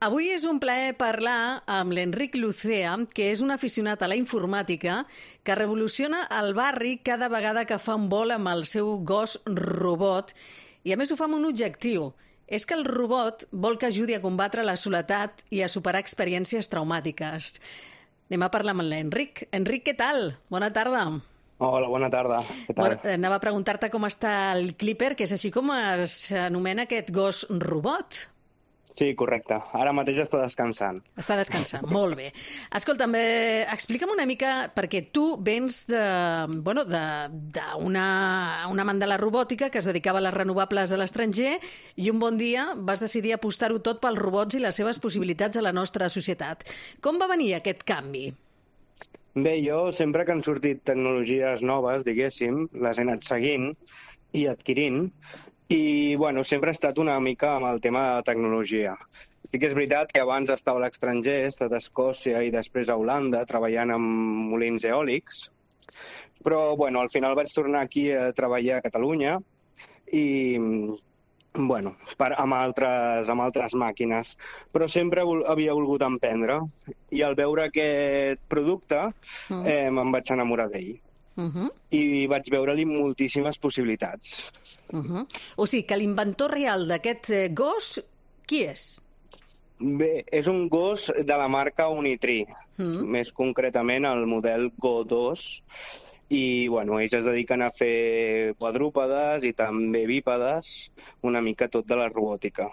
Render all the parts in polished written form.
Avui és un plaer parlar amb l'Enric Lucea, que és un aficionat a la informàtica que revoluciona el barri cada vegada que fa un vol amb el seu gos robot i a més ho fa amb un objectiu. És que el robot vol que ajudi a combatre la soledat i a superar experiències traumàtiques. Anem a parlar amb l'Enric. Enric, què tal? Bona tarda. Hola, bona tarda. Què tal? Anava a preguntar-te com està el Clipper, que és així com s'anomena aquest gos robot. Sí, correcte. Ara mateix està descansant. Està descansant, molt bé. Escolta'm, explica'm una mica, perquè tu vens d'una amant de la robòtica que es dedicava a les renovables a l'estranger i un bon dia vas decidir apostar-ho tot pels robots i les seves possibilitats a la nostra societat. Com va venir aquest canvi? Bé, jo sempre que han sortit tecnologies noves, diguéssim, les he anat seguint i adquirint, i bueno, sempre he estat una mica amb el tema de la tecnologia. Sí que és veritat que abans estava a l'estranger, he estat a Escòcia i després a Holanda treballant amb molins eòlics, però bueno, al final vaig tornar aquí a treballar a Catalunya i bueno, amb altres màquines, però sempre havia volgut emprendre i al veure aquest producte em vaig enamorar d'ell. I vaig veure-li moltíssimes possibilitats. O sigui, que l'inventor real d'aquest gos, qui és? Bé, és un gos de la marca Unitree, més concretament el model Go 2, i bueno, ells es dediquen a fer quadrúpedes i també bípedes, una mica tot de la robòtica.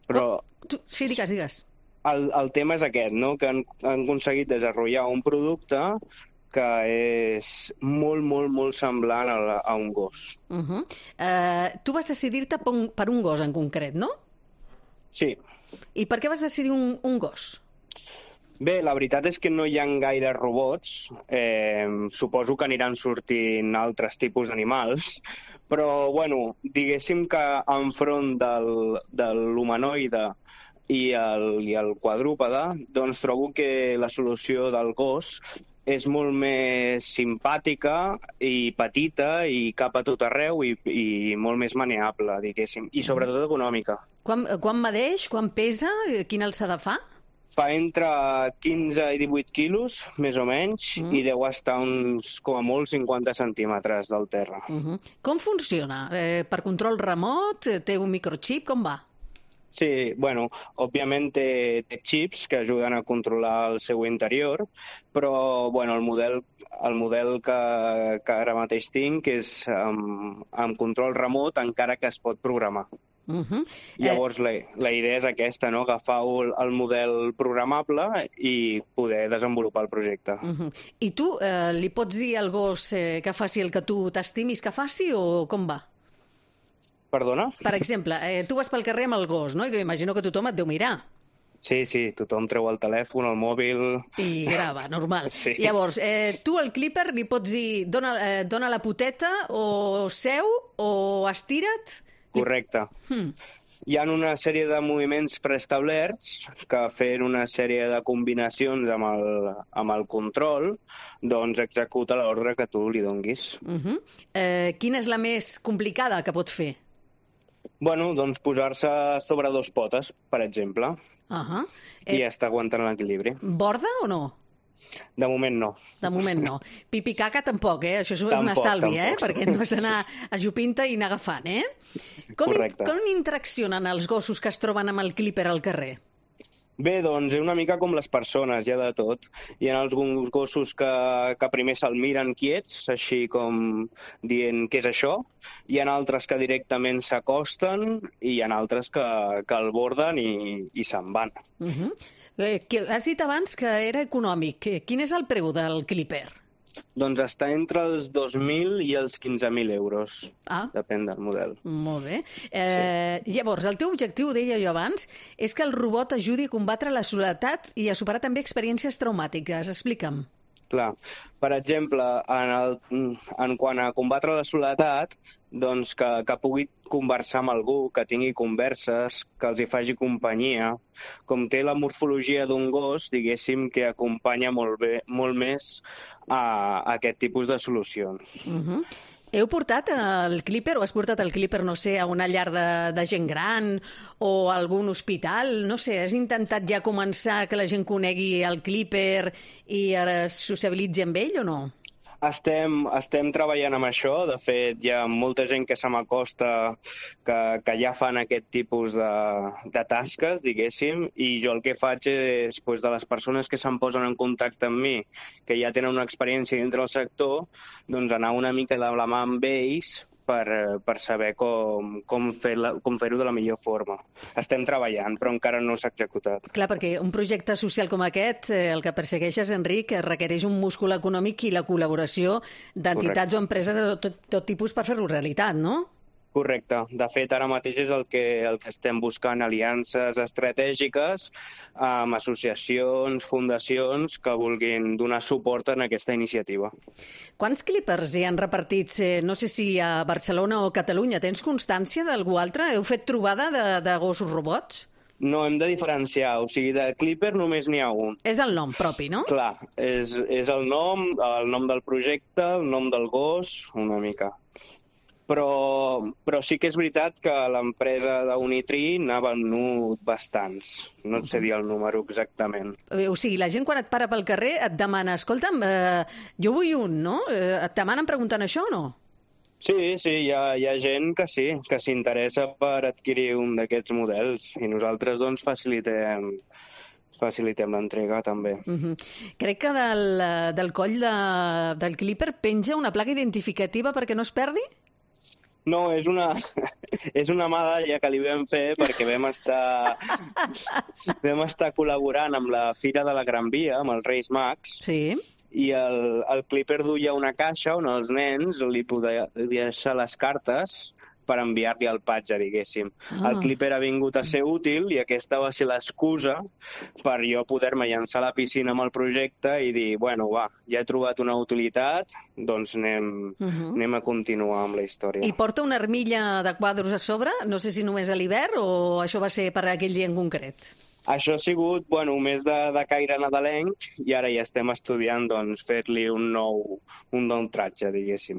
Però sí, digues. El tema és aquest, no? Que han aconseguit desenvolupar un producte que és molt semblant a un gos. Tu vas decidir-te per un gos en concret, no? Sí. I per què vas decidir un gos? Bé, la veritat és que no hi ha gaire robots. Suposo que aniran sortint altres tipus d'animals, però, bueno, diguéssim que enfront de l'humanoide i el quadrúpede, doncs trobo que la solució del gos és molt més simpàtica i petita i cap a tot arreu i molt més maneable, diguéssim, i sobretot econòmica. Quan medeix? Quan pesa? Quina alçada fa? Fa entre 15 i 18 quilos, més o menys, i deu estar uns, com a molt, 50 centímetres del terra. Com funciona? Per control remot? Té un microchip? Com va? Sí, bueno, òbviament té xips que ajuden a controlar el seu interior, però bueno, el model que ara mateix tinc és amb control remot, encara que es pot programar. Llavors la idea és aquesta, no? Agafar el model programable i poder desenvolupar el projecte. I tu li pots dir al gos que faci el que tu t'estimis que faci o com va? Perdona? Per exemple, tu vas pel carrer amb el gos, no? I imagino que tothom et deu mirar. Sí, tothom treu el telèfon, el mòbil... I grava, normal. Sí. Llavors, tu al Clipper li pots dir dona la poteta o seu o estira't? Correcte. Hi ha una sèrie de moviments preestablerts que fent una sèrie de combinacions amb el control doncs executa l'ordre que tu li donguis. Quina és la més complicada que pot fer? Bueno, doncs posar-se sobre dos potes, per exemple, i està aguantant l'equilibri. Borda o no? De moment no. De moment no. Pipi caca tampoc, Això és un estalvi, Perquè no has d'anar a jupinta i anar agafant, Correcte. Com interaccionen els gossos que es troben amb el Clipper al carrer? Bé, doncs és una mica com les persones, hi ha de tot. Hi ha alguns gossos que primer se'l miren quiets, així com dient què és això. Hi ha altres que directament s'acosten i hi ha altres que el borden i se'n van. Has dit abans que era econòmic. Quin és el preu del Clipper? Doncs està entre els 2.000 i els 15.000 euros. Depèn del model. Molt bé. Llavors, el teu objectiu, ho deia jo abans, és que el robot ajudi a combatre la soledat i a superar també experiències traumàtiques. Explica'm. Clar. Per exemple, en quant a combatre la soledat, doncs que pugui conversar amb algú, que tingui converses, que els hi faci companyia. Com té la morfologia d'un gos, diguéssim que acompanya molt més a aquest tipus de solucions. Heu portat el Clipper o has portat el Clipper, no sé, a una llar de gent gran o a algun hospital? No sé, has intentat ja començar que la gent conegui el Clipper i es sociabilitzi amb ell o no? Estem treballant amb això. De fet, hi ha molta gent que se m'acosta que ja fan aquest tipus de tasques, diguéssim, i jo el que faig és, de les persones que se'm posen en contacte amb mi, que ja tenen una experiència dintre del sector, doncs anar una mica de la mà amb ells per saber com fer-ho de la millor forma. Estem treballant, però encara no s'ha executat. Clar, perquè un projecte social com aquest, el que persegueixes, Enric, requereix un múscul econòmic i la col·laboració d'entitats o empreses de tot tipus per fer-ho realitat, no? Correcte. De fet, ara mateix és el que estem buscant, aliances estratègiques amb associacions, fundacions que vulguin donar suport en aquesta iniciativa. Quants Clippers hi han repartits, no sé si a Barcelona o Catalunya? Tens constància d'algú altre? Heu fet trobada de gossos robots? No, hem de diferenciar. O sigui, de Clipper només n'hi ha un. És el nom propi, no? Clar, és el nom del projecte, el nom del gos, una mica. Però sí que és veritat que l'empresa d'Unitree n'ha venut bastants. No et sé dir el número exactament. O sigui, la gent quan et para pel carrer et demana, escolta'm, jo vull un, no? Et demanen preguntant això o no? Sí, hi ha gent que sí, que s'interessa per adquirir un d'aquests models i nosaltres doncs facilitem l'entrega també. Crec que del coll del Clipper penja una placa identificativa perquè no es perdi? No, és una medalla que li vam fer perquè vam estar col·laborant amb la Fira de la Gran Via, amb els Reis Mags, sí. I el Clipper duia una caixa on els nens li podien deixar les cartes per enviar-li el patge, diguéssim. El Clipper ha vingut a ser útil i aquesta va ser l'excusa per jo poder-me llançar a la piscina amb el projecte i dir, bueno, va, ja he trobat una utilitat, doncs anem a continuar amb la història. I porta una armilla de quadros a sobre? No sé si només a l'hivern o això va ser per aquell dia en concret? Això ha sigut, més de caire nadalenc i ara ja estem estudiant doncs, fer-li un nou tratge, diguéssim.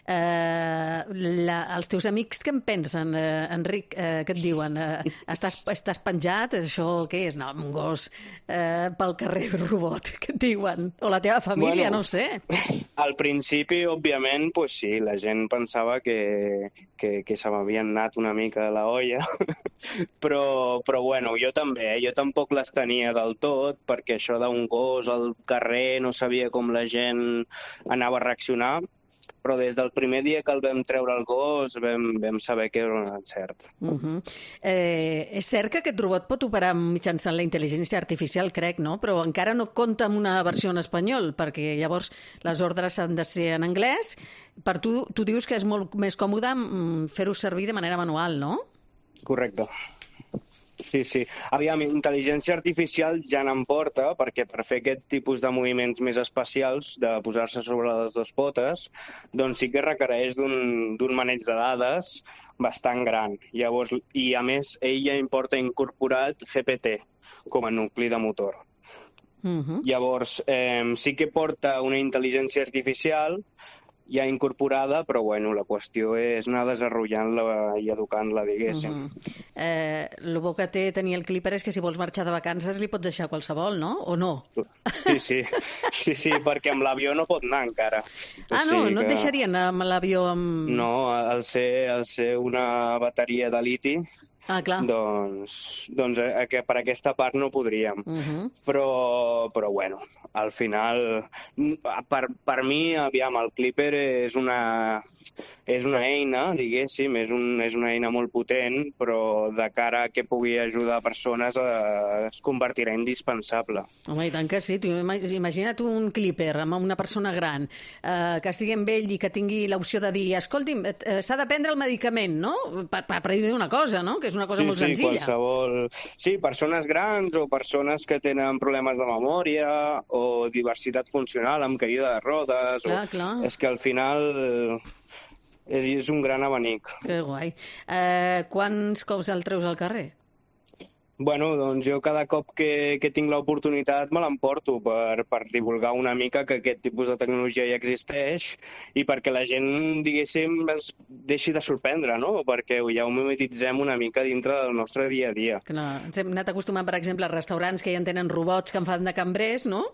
Els teus amics què en pensen, Enric? Què et diuen? Estàs penjat? Això què és? No, un gos pel carrer robot. Què et diuen? O la teva família, no ho sé. Al principi, òbviament, sí, la gent pensava que se m'havien anat una mica de la olla, però jo també. Jo tampoc les tenia del tot, perquè això d'un gos al carrer no sabia com la gent anava a reaccionar, però des del primer dia que el vam treure el gos vam saber que era un encert. És cert que aquest robot pot operar mitjançant la intel·ligència artificial, crec, no? Però encara no compta amb una versió en espanyol, perquè llavors les ordres han de ser en anglès. Per tu dius que és molt més còmode fer-ho servir de manera manual, no? Correcte. Sí. Aviam, intel·ligència artificial ja n'en porta, perquè per fer aquest tipus de moviments més especials, de posar-se sobre les dues potes, doncs sí que requereix d'un maneig de dades bastant gran. Llavors, i a més, ell ja importa incorporat GPT com a nucli de motor. Llavors, sí que porta una intel·ligència artificial ja incorporada, però la qüestió és anar desenvolupant-la i educant-la, diguéssim. El bo que té tenir el Clipper és que si vols marxar de vacances li pots deixar qualsevol, no? O no? Sí, perquè amb l'avió no pot anar encara. No et deixarien anar amb l'avió amb... No, al ser una bateria de liti, clar. Doncs que per aquesta part no podríem. Però al final, per mi, aviam, el Clipper és una eina, diguéssim, és una eina molt potent, però de cara a que pugui ajudar persones es convertirà en indispensable. Home, i tant que sí. Imagina't un Clipper amb una persona gran que estigui amb ell i que tingui l'opció de dir, escolti'm, s'ha de prendre el medicament, no? Per dir una cosa, no? Que és una cosa molt senzilla. Qualsevol... Sí, persones grans o persones que tenen problemes de memòria o diversitat funcional amb caïda de rodes. Clar. És que al final és un gran abanic. Que guai. Quants cops el treus al carrer? Bueno, doncs jo cada cop que tinc l'oportunitat me l'emporto per divulgar una mica que aquest tipus de tecnologia ja existeix i perquè la gent, diguéssim, es deixi de sorprendre, no? Perquè ja ho mimetitzem una mica dintre del nostre dia a dia. Clar, ens hem anat acostumant, per exemple, a restaurants que ja en tenen robots que en fan de cambrers, no?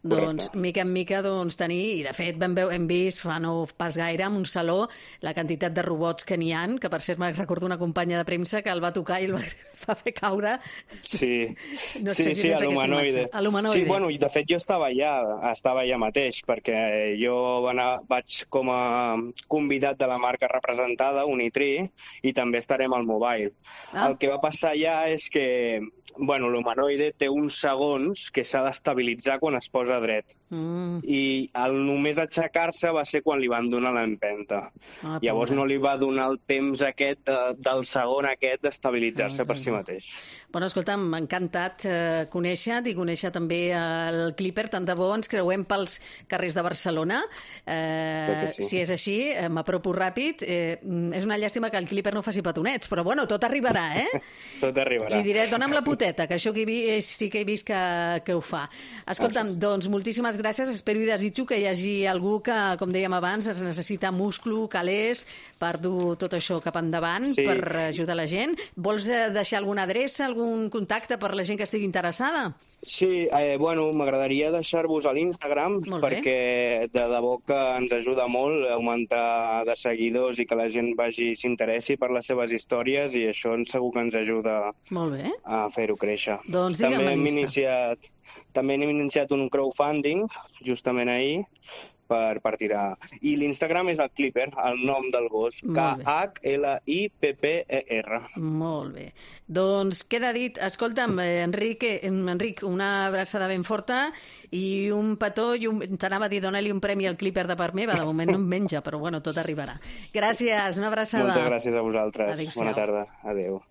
Doncs, mica en mica, tenir... I, de fet, hem vist fa no pas gaire en un saló la quantitat de robots que n'hi ha, que, per cert, me'n recordo una companya de premsa que el va tocar i el va fer caure. Sí, no sé si a l'humanoide. A l'humanoide. Sí, bueno, i de fet jo estava allà mateix, perquè jo vaig com a convidat de la marca representada, Unitri, i també estarem al Mobile. El que va passar allà és que l'humanoide té uns segons que s'ha d'estabilitzar quan es posa dret. I només aixecar-se va ser quan li van donar l'empenta. Llavors no li va donar el temps aquest del segon aquest d'estabilitzar-se per si mateix. Bueno, escolta, m'ha encantat conèixer-te i conèixer també el Clipper. Tant de bo ens creuem pels carrers de Barcelona. Sí. Si és així, m'apropo ràpid. És una llàstima que el Clipper no faci petonets, però bueno, tot arribarà, Tot arribarà. Li diré, dona'm la poteta, que això sí que he vist que ho fa. Escolta'm, doncs moltíssimes gràcies. Espero i desitjo que hi hagi algú que, com dèiem abans, es necessita múscul, calés, per dur tot això cap endavant, per ajudar la gent. Vols deixar alguna adreça, algun contacte per la gent que estigui interessada? Sí, m'agradaria deixar-vos a l'Instagram perquè de debò que ens ajuda molt a augmentar de seguidors i que la gent s'interessi per les seves històries i això segur que ens ajuda a fer-ho créixer. Doncs digue'm l'Insta. També hem iniciat un crowdfunding justament ahir per tirar. I l'Instagram és el Clipper, el nom del gos. K-H-L-I-P-P-E-R. Molt bé. Doncs queda dit. Escolta'm, Enric, una abraçada ben forta i un petó, t'anava a dir, dona-li un premi al Clipper de part meva. De moment no em menja, però bueno, tot arribarà. Gràcies, una abraçada. Moltes gràcies a vosaltres. Adéu-siau. Bona tarda. Adéu.